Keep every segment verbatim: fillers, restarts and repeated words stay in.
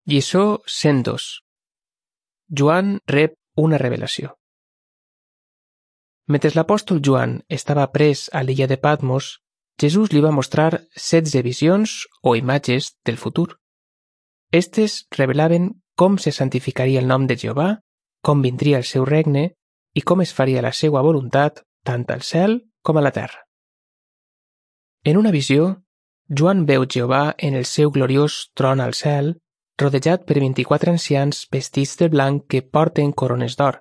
Lliçó cent dos. Joan rep una revelació. Mentre l'apòstol Joan estava pres a l'illa de Patmos, Jesús li va mostrar setze visions o imatges del futur. Estes revelaven com se santificaria el nom de Jehovà, com vindria el seu regne i com es faria la seva voluntat tant al cel com a la terra. En una visió, Joan veu Jehovà en el seu gloriós tron al cel, rodejat per vint-i-quatre ancians vestits de blanc que porten corones d'or.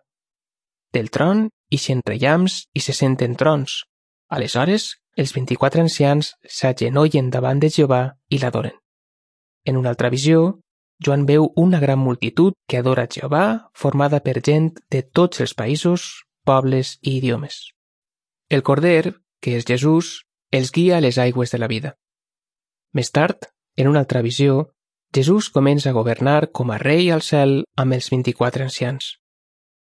Del tron ixen reiams i se senten trons. Aleshores, els vint-i-quatre ancians s'agenollen davant de Jehovà i l'adoren. En una altra visió, Joan veu una gran multitud que adora Jehovà, formada per gent de tots els països, pobles i idiomes. El Corder, que és Jesús, els guia a les aigües de la vida. Més tard, en una altra visió, Jesús comença a governar com a rei al cel amb els vint-i-quatre ancians.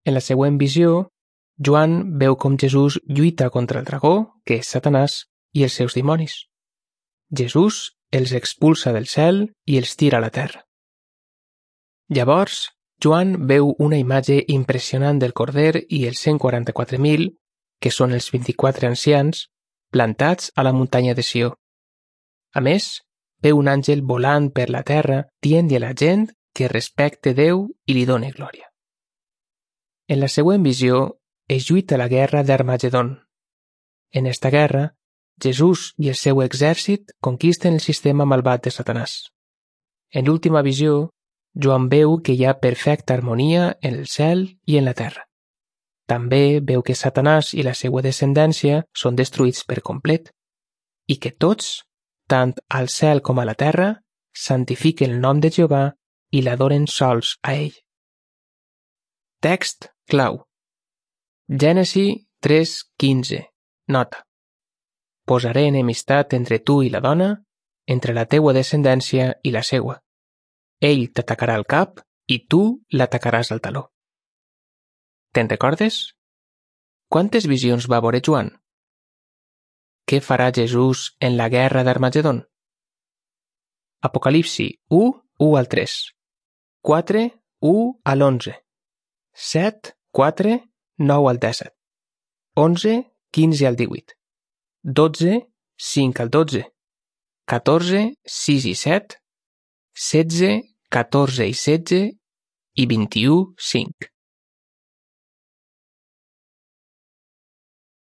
En la següent visió, Joan veu com Jesús lluita contra el dragó, que és Satanàs, i els seus dimonis. Jesús els expulsa del cel i els tira a la terra. Llavors, Joan veu una imatge impressionant del Corder i els cent quaranta-quatre mil, que són els vint-i-quatre ancians, plantats a la muntanya de Sió. A més, veu un àngel volant per la terra dient-li a la gent que respecte Déu i li doni glòria. En la següent visió es lluita la guerra d'Armagedon. En esta guerra, Jesús i el seu exèrcit conquisten el sistema malvat de Satanàs. En l'última visió, Joan veu que hi ha perfecta harmonia en el cel i en la terra. També veu que Satanàs i la seva descendència són destruïts per complet i que tots, tant al cel com a la terra, santifiquen el nom de Jehovà i l'adoren sols a ell. Text clau. Gènesi tres quinze. Nota. Posaré enemistat entre tu i la dona, entre la teua descendència i la seua. Ell t'atacarà al cap i tu l'atacaràs al taló. Te'n recordes? Quantes visions va veure Joan? Què farà Jesús en la guerra d'Armagedon? Apocalipsi u, u al tres. quatre, u al onze. set, quatre, nou al disset. onze, quinze al divuit. dotze, cinc al dotze. catorze, sis i set. setze, catorze i setze. I vint-i-u, cinc.